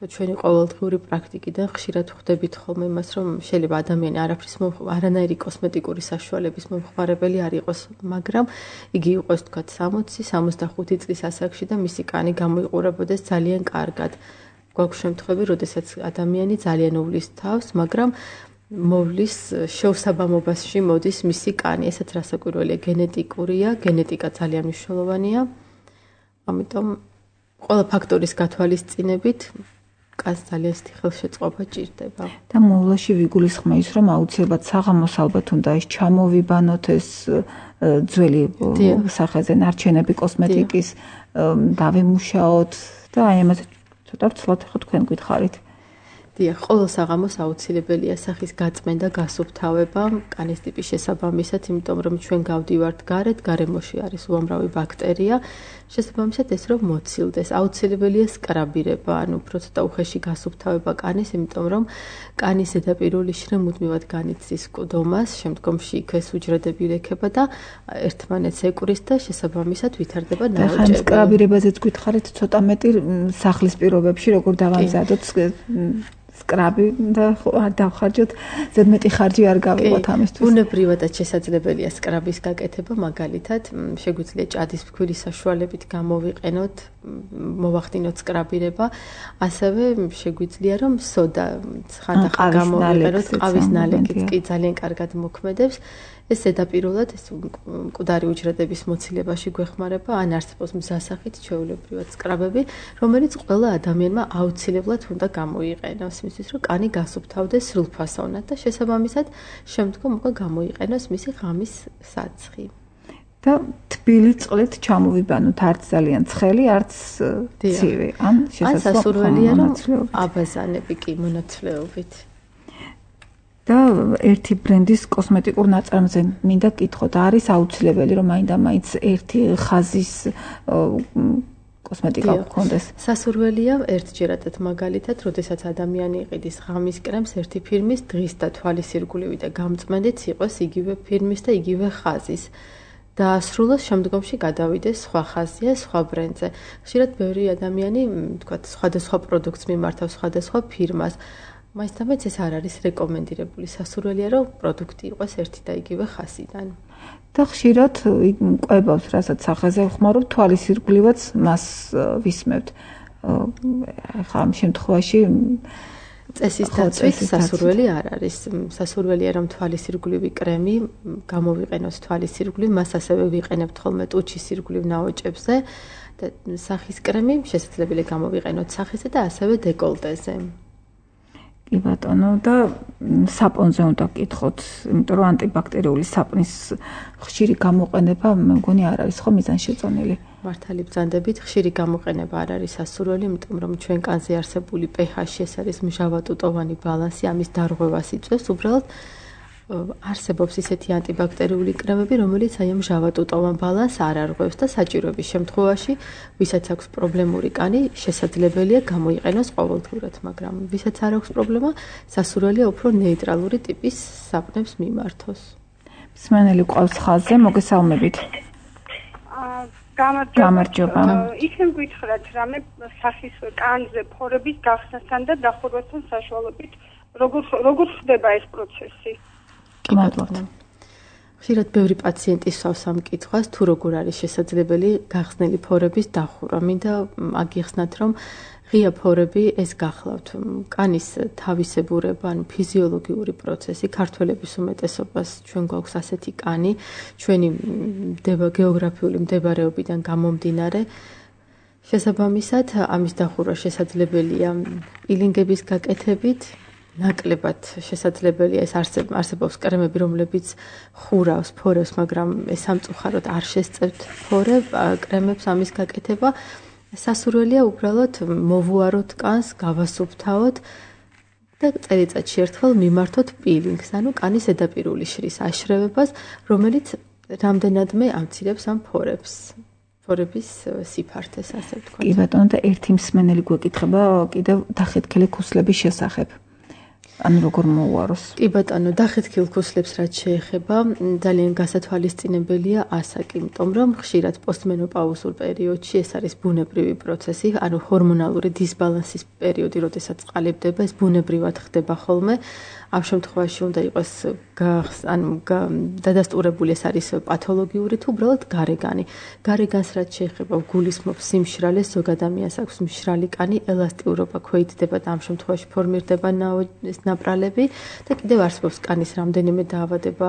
ჩვენი ყოველდღიური პრაქტიკიდან ხშირად ვხვდებით ხოლმე იმას, რომ შეიძლება ადამიანი არაფრის არანაირი კოსმეტიკური საშუალების მომხმარებელი არ იყოს, მაგრამ იგი იყოს თქვათ სამოცი სამოცდახუთი წლის ასაკში და მისი კანი გამოიყურებოდეს ძალიან კარგად. გვაქვს შემთხვევები, როდესაც ადამიანი ძალიან უვლის თავს, მაგრამ მოვლის შეუსაბამობაში მოდის მისი კანი. ესაც რასაკვირველია, გენეტიკურია, გენეტიკა ძალიან მნიშვნელოვანია. ამიტომ ყველა ფაქტორის გათვალისწინებით კანს ძალიან ისეთი ხელშეწყობა ჭირდება. და მოვლაში ვიგულისხმე ის, რომ აუცილებლად საღამოს ალბათ უნდა ის ჩამოვიბანოთ ეს ძველი სახეზე ნარჩენები კოსმეტიკის დავემუშაოთ და აი ამაზე ცოტა ვცლად ხო თქვენ გითხარით. დიახ, ყოველ საღამოს აუცილებელია სახის გაწმენდა, გასუფთავება კანის ტიპის შესაბამისად, იმიტომ რომ ჩვენ გავდივართ გარეთ, გარემოში არის უამრავი ბაქტერია, შესაბამისად ეს რომ მოცილდეს, აუცილებელია სკრაბირება, ანუ უფრო ცოტა უხეში გასუფთავება კანის, იმიტომ რომ კანის ზედაპირული შრე მუდმივად განიცდის მკდომას, შემდგომში იქ ეს უჯრედები ვლექება და ერთმანეთს ეკურის და შესაბამისად ვითარდება ნაოჭები. ხან სკრაბირებაზეც გითხარით ცოტა მეტი სახლის პირობებში, როგორ დავამზადოთ სკრაბი და არ დავხარჯოთ, ზედმეტი ხარჯი არ გავიღოთ ამისთვის. ბუნებრივადაც შესაძლებელია სკრაბის გაკეთება, მაგალითად, შეგვიძლია ჭადის ფქვილის საშუალებით გამოვიყენოთ, მოვახდინოთ სკრაბირება, ასევე შეგვიძლია რომ სოდა ხანდახან გამოვიყენოთ, ყავის ნალექიც კი ძალიან კარგად მოქმედებს. ეს ზედაპირულად ეს მკვდარი უჯრედების მოცილებაში გვეხმარება, ან არსებობს მზასახით ჩვეულებრივად სკრაბები, რომელიც ყველა ადამიანმა აუცილებლად უნდა გამოიყენოს, მისთვის რომ კანი გასუფთავდეს სრულფასოვნად და შესაბამისად შემდგომ უკვე გამოიყენოს მისი ღამის საცხი. და თბილი წყლით ჩამოვიბანოთ, არც ძალიან ცხელი, არც ცივი, ან შესაძლოა რომ აბაზანები კი მონაცვლეობით. და ერთი ბრენდის კოსმეტიკურ ნაწარმზე მინდა გკითხოთ, არის აუცილებელი რომ მაინდა-მაინც ერთი ხაზის კოსმეტიკა გქონდეს? სასურველია ერთჯერადად, მაგალითად, როდესაც ადამიანი იყიდის ღამის კრემს, ერთი ფირმის დღის და თვალის ირგვლივი და გამწმენდიც იყოს იგივე ფირმის და იგივე ხაზის. და სრულად შემდგომში გადავიდეს სხვა ხაზზე, სხვა ბრენდზე. ხშირად ბევრი ადამიანი, თქვათ, სხვადასხვა პროდუქტს მიმართავს სხვადასხვა ფირმას. მაინც-თამაც ეს არ არის რეკომენდირებული. სასურველია რომ პროდუქტი იყოს ერთი და იგივე ხაზიდან. და ხშირად ყვებავს, რასაც სახეზე ვხმარობ, თვალის ირგვლივაც მას ვისმევთ. ახლა ამ შემთხვევაში წესის დაცვით სასურველი არ არის. სასურველია რომ თვალის ირგვლივი კრემი გამოვიყენოს თვალის ირგვლივ, მას ასევე ვიყენებთ ხოლმე ტუჩის ირგვლივ ნაოჭებზე და სახის კრემი შესაძლებელია გამოვიყენოთ სახეზე და ასევე დეკოლტეზე. კი ბატონო, და საპონზე უნდა გკითხოთ, იმიტომ რომ ანტიბაქტერიული საპნის ხშირი გამოყენება მე მგონი არ არის ხო მიზანშეწონილი. მართალი ბრძანდებით, ხშირი გამოყენება არ არის სასურველი, იმიტომ რომ ჩვენ კანზე არსებული pH-ი ეს არის მჟავატუტოვანი ბალანსი, ამის დარღვევას იწვევს, უბრალოდ არსებობს ისეთი ანტიბაქტერიული კრემები, რომელიც აი ამ მჟავატუტოვან ბალანსს არ არღვევს და საჭიროების შემთხვევაში, ვისაც აქვს პრობლემური კანი, შესაძლებელია გამოიყენოს ყოველდღურად, მაგრამ ვისაც არ აქვს პრობლემა, სასურველია უფრო ნეიტრალური ტიპის საპნებს მიმართოს. მსმენელი ყავს ხაზზე, მოგესალმებით. გამარჯობა. ისე მგითხრათ, რამე სახის კანზე ფორების გახსნასთან და დახურვასთან საშუალებით, როგორ როგორ ხდება ეს პროცესი? კი მადლობთ. ხშირად ბევრი პაციენტი სვავს ამ კითხვას, თუ როგორ არის შესაძლებელი გახსნილი ფორების დახურვა. მინდა აგიხსნათ, რომ ღია ფორები ეს გახლავთ კანის თავისებურება, ანუ ფიზიოლოგიური პროცესი. ქართველების უმეტესობას ჩვენ გვაქვს ასეთი კანი, ჩვენი გეოგრაფიული მდებარეობიდან გამომდინარე. შესაბამისად, ამის დახურვა შესაძლებელია პილინგების გაკეთებით, ნაკლებად შესაძლებელია ეს არსებობს კრემები, რომლებიც ხურავს ფორებს, მაგრამ ეს სამწუხაროდ არ შესწევთ ფორებ კრემებს ამის გაკეთება. სასურველია უბრალოდ მოვუაროთ კანს, გავასუფთავოთ და წელიწადში ერთხელ მიმართოთ პილინგს, ანუ კანის ზედაპირული შრის აშრევებას, რომელიც რამდენადმე ამცირებს ამ ფორებს. ფორების სიფართეს, ასე ვთქვათ. კი ბატონო, და ერთი მსმენელი გვეკითხება კიდევ დახეთქილი ქუსლების შესახებ. ანუ როგორ მოუაროს? კი ბატონო, დახეთქილ ქუსლებს რაც შეეხება, ძალიან გასათვალისწინებელია ასაკი, იმიტომ რომ ხშირად პოსტმენოპაუზურ პერიოდში ეს არის ბუნებრივი პროცესი, ანუ ჰორმონალური დისბალანსის პერიოდი, როდესაც წყალიბდება, ეს ბუნებრივად ხდება ხოლმე. ამ შემთხვევაში უნდა იყოს ანუ დადასტურებული ეს არის პათოლოგიური თუ უბრალოდ გარეგანი. გარეგანს რაც შეეხება გულისხმობს სიმშრალეს, ზოგ ადამიანს აქვს მშრალი კანი, ელასტიურობა ქვეითდება და ამ შემთხვევაში ფორმირდება ნაპრალები და კიდევ არსებობს კანის რამდენიმე დაავადება,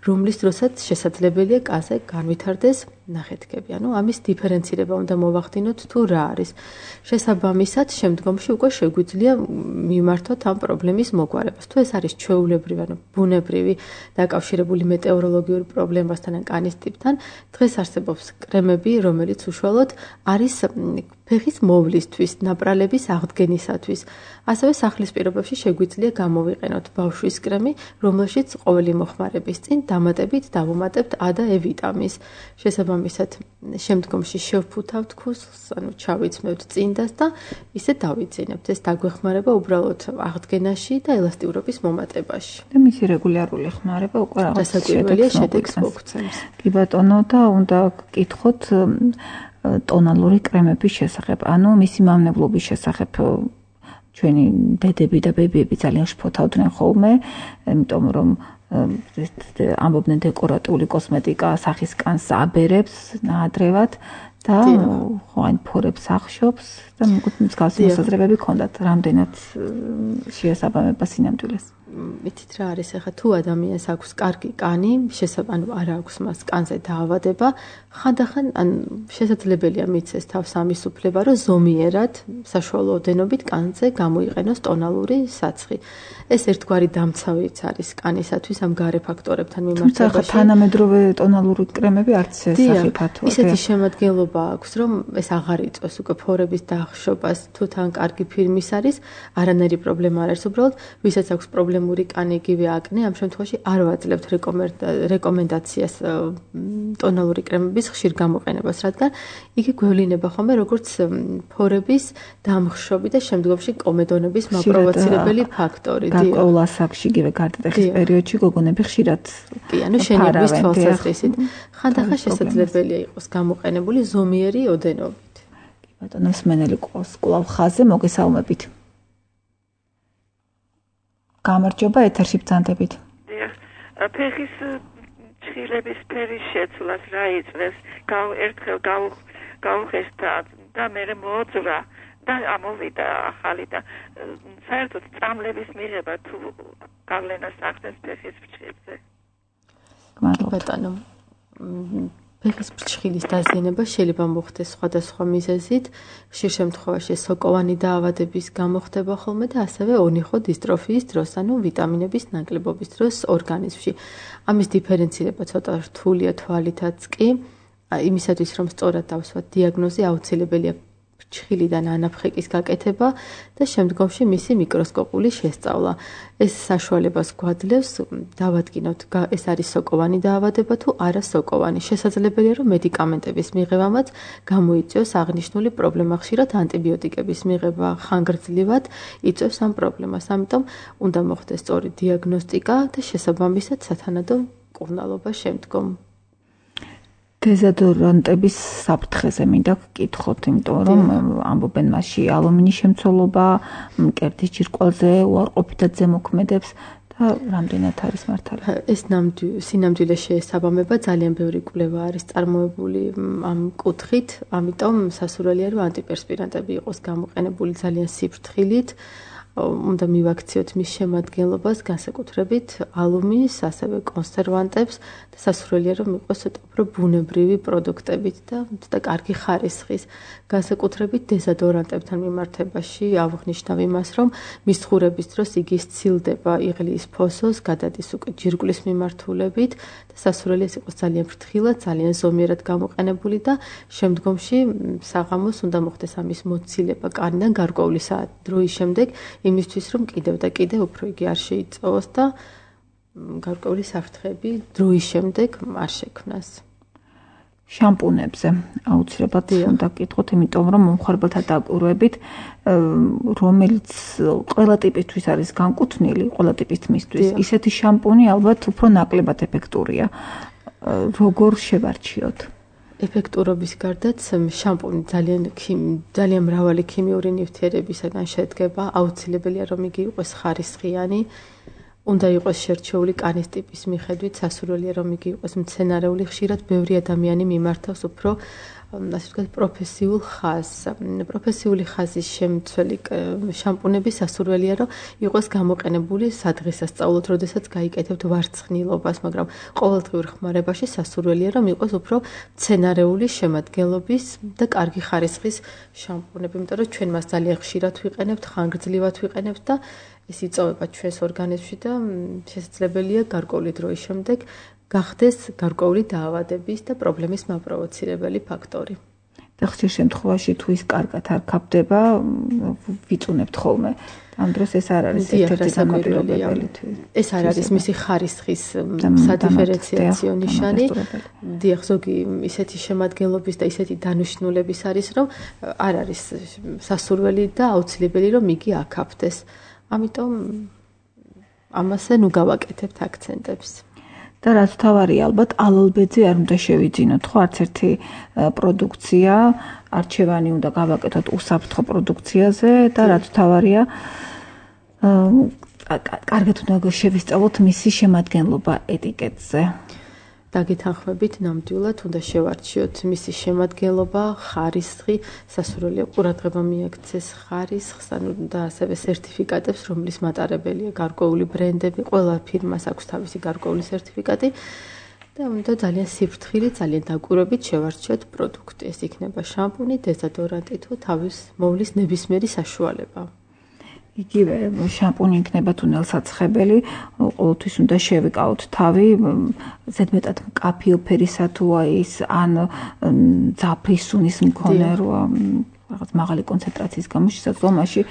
რომლის დროსაც შესაძლებელია კანზე განვითარდეს ნახეთქები. ანუ ამის დიფერენცირება უნდა მოვახდინოთ თუ რა არის. შესაბამისად, შემდგომში უკვე შეგვიძლია მიმართოთ ამ პრობლემის მოგვარებას. თუ ეს არის ჩვეულებრივი, ანუ ბუნებრივი, დაკავშირებული მეტეოროლოგიურ პრობლემასთან ან კანის ტიპთან, დღეს არსებობს კრემები, რომელიც უშუალოდ არის ფეხის მოვლისთვის, ნაპრალების აღდგენისათვის. ასევე სახლის პირობებში შეგვიძლია გამოვიყენოთ ბავშვის კრემი, რომელშიც ყოველი მოხმარების წინ დამატებით დავუმატებთ A და E ვიტამინს. შესაბამისად, შემდგომში შევფუთავთ ქუსლს, ანუ ჩავიცმევთ წინდას და ისე დავიძინებთ. ეს დაგვეხმარება უბრალოდ აღდგენაში და ელასტიურობის მომატებაში. და მისი რეგულარული ხმარება უკვე რაღაც შესაძლებელია შედეგს მოგცემს. კი ბატონო, და უნდა გკითხოთ ტონალური კრემების შესახებ, ანუ მისი მავნებლობის შესახებ. ჩვენი დედები და ბებიები ძალიან შფოთავდნენ ხოლმე, იმიტომ რომ ამბობდნენ დეკორატიული კოსმეტიკა სახის კანს აბერებს ნაადრევად და ხო ან ფორებს ახშობს და მსგავსი მოსაზრებები ჰქონდათ, რამდენად შეესაბამება სინამდვილეს. მითით რა არის ახლა თუ ადამიანს აქვს კარგი კანი, შესაბამისად ანუ არ აქვს მას კანზე დაავადება, ხანდახან ან შესაძლებელია მიცეს თავს ამის უფლება, რომ ზომიერად საშუალო ოდენობით კანზე გამოიყენოს ტონალური საცხი. ეს ერთგვარი დამცავიც არის კანისათვის ამ გარე ფაქტორებთან მიმართებაში. თუმცა თანამედროვე ტონალური კრემები არც სახიფათოა. ისეთი შემადგენლობა აქვს, რომ ეს აღარ იწვევს უკვე ფორების დაახშობას, თუ თან კარგი ფირმის არის, არანაირი პრობლემა არ არის, უბრალოდ ვისაც აქვს პრობლემა მური კანი იგივე აკნე, ამ შემთხვევაში არ ვაძლევთ რეკომენდაციას ტონალური კრემების ხშირ გამოყენებას, რადგან იგი გვევლინება ხოლმე როგორც ფორების დამხშობი და შემდგომში კომედონების მაპროვოცირებელი ფაქტორი. გარკვეულ ასაკში, იგივე გარდატეხის პერიოდში გოგონები ხშირად კი, ანუ შენების თვალსაზრისით ხანდახან შესაძლებელია იყოს გამოყენებული ზომიერი ოდენობით. კი ბატონო, მსმენელი ყავს კვლავ ხაზზე, მოგესალმებით. გამარჯობა, ეთერში ბრძანდებით. ფეხის ჩხილების ფერის შეცვლას რა იწვევს? გავ ერთხელ გავუხესთა და მე მოძრა და ამოვიდა ახალი და საერთოდ წამლების მიღება თუ გავლენას ახდენს ფეხის ფრჩხილზე. ბატონო, ფეხის ფრჩხილის დაზიანება შეიძლება მოხდეს სხვადასხვა მიზეზით. ხშირ შემთხვევაში სოკოვანი დაავადების გამო ხდება ხოლმე და ასევე ონიხო დისტროფიის დროს, ანუ ვიტამინების ნაკლებობის დროს ორგანიზმში. ამის დიფერენცირება ცოტა რთულია თვალითაც კი, იმისათვის რომ სწორად დავსვათ დიაგნოზი, აუცილებელია ფრჩხილიდან ანაფხეკის გაკეთება და შემდგომში მისი მიკროსკოპული შესწავლა. ეს საშუალებას გვაძლევს დავადგინოთ ეს არის სოკოვანი დაავადება თუ არა სოკოვანი. შესაძლებელია რომ მედიკამენტების მიღებამაც გამოიწვიოს აღნიშნული პრობლემა. ხშირად ანტიბიოტიკების მიღება ხანგრძლივად იწვევს ამ პრობლემას. ამიტომ უნდა მოხდეს სწორი დიაგნოსტიკა და შესაბამისად სათანადო მკურნალობა შემდგომ. დეზოდორანტების საფრთხეზე მინდა გკითხოთ, იმიტომ რომ ამბობენ მასში ალუმინის შემცველობა, მკერდის ჯირკვალზე უარყოფითად ზემოქმედებს და რამდენად არის მართალი? ეს სინამდვილე შეესაბამება, ძალიან ბევრი კვლევა არის წარმოებული ამ კუთხით, ამიტომ სასურველია რომ ანტიპერსპირანტები იყოს გამოყენებული ძალიან სიფრთხილით. უნდა მივაქციოთ მის შემადგენლობას, განსაკუთრებით ალუმინის, ასევე კონსერვანტებს და სასურველია რომ იყოს ცოტა უფრო ბუნებრივი პროდუქტებით და ცოტა კარგი ხარისხის. განსაკუთრებით დეზოდორანტებთან მიმართებაში აღნიშნავ იმას, რომ მის ხურების დროს იგი სცილდება იღლიის ფოსოს, გადადის უკვე ჯირკვლის მიმართულებით და სასურველია იყოს ძალიან ფრთხილად, ძალიან ზომიერად გამოყენებული და შემდგომში საღამოს უნდა მოხდეს ამის მოცილება კანიდან გარკვეული საათ დროის შემდეგ იმისთვის რომ კიდევ და კიდევ უფრო იგი არ შეიწოვოს და გარკვეული საფრთხეები დროის შემდეგ არ შექმნას. შამპუნებზე აუცილებლად უნდა გკითხოთ, იმიტომ რომ მომხმარებელთა დაკვირვებით, რომელიც ყველა ტიპისთვის არის განკუთვნილი, ყველა ტიპის მისთვის, ისეთი შამპუნი ალბათ უფრო ნაკლებად ეფექტურია. როგორ შევარჩიოთ? ეფექტურობის გარდაც შამპუნი ძალიან ძალიან მრავალი ქიმიური ნივთიერებისაგან შედგება, აუცილებელია რომ იგი იყოს ხარისხიანი, უნდა იყოს შერჩეული კანის ტიპის მიხედვით, სასურველია რომ იგი იყოს მცენარეული, ხშირად ბევრი ადამიანი მიმართავს უფრო ასე ვთქვათ პროფესიულ ხაზს. პროფესიული ხაზის შემცველი შამპუნები სასურველია რომ იყოს გამოყენებული სადღესასწაულოდ, როდესაც გაიკეთებთ ვარცხნილობას, მაგრამ ყოველდღიურ ხმარებაში სასურველია რომ იყოს უფრო მცენარეული შემადგენლობის და კარგი ხარისხის შამპუნები, იმიტომ რომ ჩვენ მას ძალიან ხშირად ვიყენებთ, ხანგრძლივად ვიყენებთ და ეს იწოვება ჩვენს ორგანიზმში და შესაძლებელია გარკვეული დროის შემდეგ გახდეს გარკვეული დაავადების და პრობლემის მაპროვოცირებელი ფაქტორი. და ხშირ შემთხვევაში თუ ის კარგად არ ქაფდება, ვიწუნებთ ხოლმე. ამ დროს ეს არ არის ერთ-ერთი საკმაყოფილებელი. ეს არ არის მისი ხარისხის სადიფერენციაციო ნიშანი. დიახ, ზოგი ისეთი შემადგენლობის და ისეთი დანიშნულების არის, რომ არ არის სასურველი და აუცილებელი რომ იგი აკაფდეს. ამიტომ ამაზე ნუ გავაკეთებთ აქცენტებს. და რაც თავარია, ალბათ ალალბეძე არ უნდა შევიძინოთ, ხო, არც ერთი პროდუქცია, არჩევანი უნდა გავაკეთოთ უსაფრთხო პროდუქციაზე და რაც თავარია, კარგად უნდა შევისწავლოთ მისი შემადგენლობა ეტიკეტზე. დაგეთანხმებით ნამდვილად უნდა შევარჩიოთ მისი შემადგენლობა, ხარისხი, სასურველია ყურადღება მიაქცეს ხარისხს, ანუ და ასევე სერტიფიკატებს, რომლის მატარებელია გარკვეული ბრენდები, ყველა ფირმას აქვს თავისი გარკვეული სერტიფიკატი და უნდა ძალიან სიფრთხილით, ძალიან დაკვირვებით შევარჩიოთ პროდუქტი. ეს იქნება შამპუნი, დეზოდორანტი თუ თავის მოვლის ნებისმიერი საშუალება. იგივე შამპუნი იქნება თუნელსაცხებელი, ყოველთვის უნდა შევიკავოთ თავი, ზედმეტად მკაფიო ფერისა თუ ის ან ძაფრის სუნის მქონე როა რაღაც მაღალი კონცენტრაციის გამო შესაძლოა მაშინ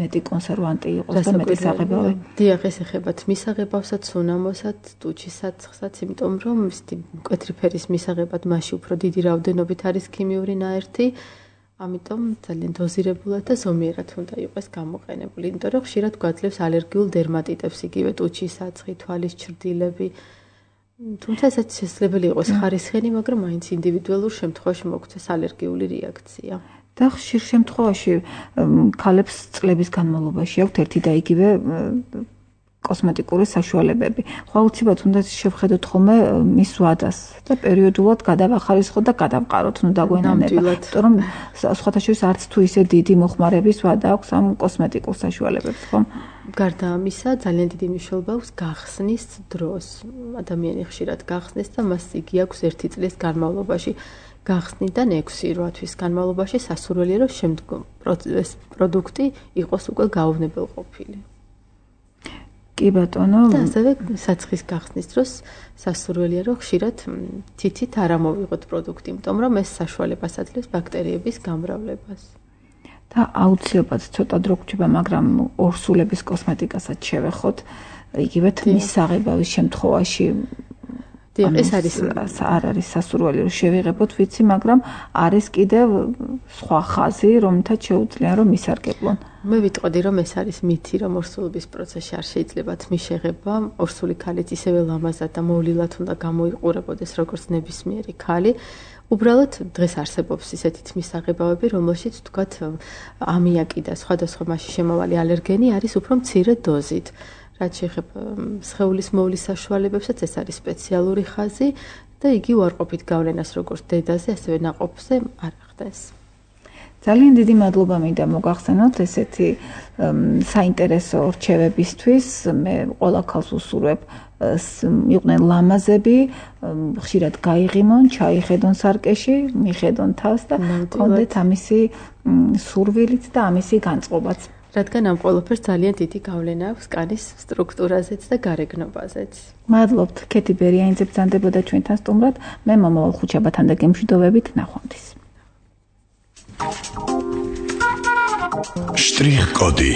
მეტი კონსერვანტი იყოს და მეტი საღებავი. დიახ, ეს ეხება მისაღებავსაც, სუნამოსაც, ტუჩისაცხსაც, იმიტომ რომ მკვეთრი ფერის მისაღებად მასში უფრო დიდი რაოდენობით არის ქიმიური ნაერთი. ამიტომ ძალიან დოზირებულად და ზომიერად უნდა იყოს გამოყენებული, იმიტომ რომ ხშირად გვაძლევს ალერგიულ დერმატიტებს, იგივე ტუჩის საცხი, თვალის ჩრდილები. თუმცა ესეც შესაძლებელი იყოს ხარისხიანი, მაგრამ მაინც ინდივიდუალურ შემთხვევაში მოგვცეს ალერგიული რეაქცია. და ხშირ შემთხვევაში ქალებს წლების განმავლობაში აქვთ ერთი და იგივე კოსმეტიკური საშუალებები. ხო, აუცილებლად უნდა შევხედოთ ხოლმე მის ვადას და პერიოდულად გადავახარისხოთ და გადავყაროთ, ნუ დაგვენანება. იმიტომ რომ სხვათა შორის არც თუ ისე დიდი მოხმარების ვადა აქვს ამ კოსმეტიკურ საშუალებებს, ხო? გარდა ამისა, ძალიან დიდი მნიშვნელობა აქვს გახსნის დროს. ადამიანი ხშირად გახსნეს და მას იგი აქვს ერთი წლის განმავლობაში. გახსნიდან ექვსი რვა თვის განმავლობაში სასურველია რომ შემდგომ ეს პროდუქტი იყოს უკვე გაუვნებელყოფილი. კი ბატონო, და ასევე საცხის გახსნის დროს სასურველია რომ ხშირად თითით არ ამოვიღოთ პროდუქტი, იმიტომ რომ ეს საშუალებას აძლევს ბაქტერიების გამრავლებას. და აუცილებლად ცოტა დრო გვჭირდება, მაგრამ ორსულების კოსმეტიკასაც შევეხოთ, იგივე თმის საღებავის შემთხვევაში. დიახ, ეს არის არ არის სასურველი რომ შევიღებოთ, ვიცი, მაგრამ არის კიდევ სხვა ხაზი, რომლითაც შეუძლია რომ მისარგებლონ. მე ვიტყოდი რომ ეს არის მითი, რომ ორსულების პროცესში არ შეიძლება თმის შეღება, ორსული ქალიც ისევე ლამაზად და მოვლილად უნდა გამოიყურებოდეს როგორც ნებისმიერი ქალი. უბრალოდ დღეს არსებობს ისეთი თმის საღებავები, რომელშიც თქვათ ამიაკი და სხვადასხვა მასში შემავალი ალერგენი არის უფრო მცირე დოზით. რაც შეეხება სხეულის მოვლის საშუალებებსაც, ეს არის სპეციალური ხაზი და იგი უარყოფით გავლენას როგორც დედაზე, ასევე ნაყოფზე არ ახდენს. ძალიან დიდი მადლობა მინდა მოგახსენოთ ესეთი საინტერესო რჩევებისთვის. მე ყველა ქალს ვუსურვებ იყვნენ ლამაზები, ხშირად გაიღიმონ, ჩაიხედონ სარკეში, მიხედონ თავს და კონდეთ ამისი სურვილიც და ამისი განწყობაც. რადგან ამ ყველაფერს ძალიან დიდი გავლენა აქვს კანის სტრუქტურაზეც და გარეგნობაზეც. მადლობთ, ქეთი ბერიანიძე ბრძანდებოდა ჩვენთან სტუმრად. მე მომავალ ხუთშაბათთან და გემშვიდობებით ნახვამდის. Штрих-коды.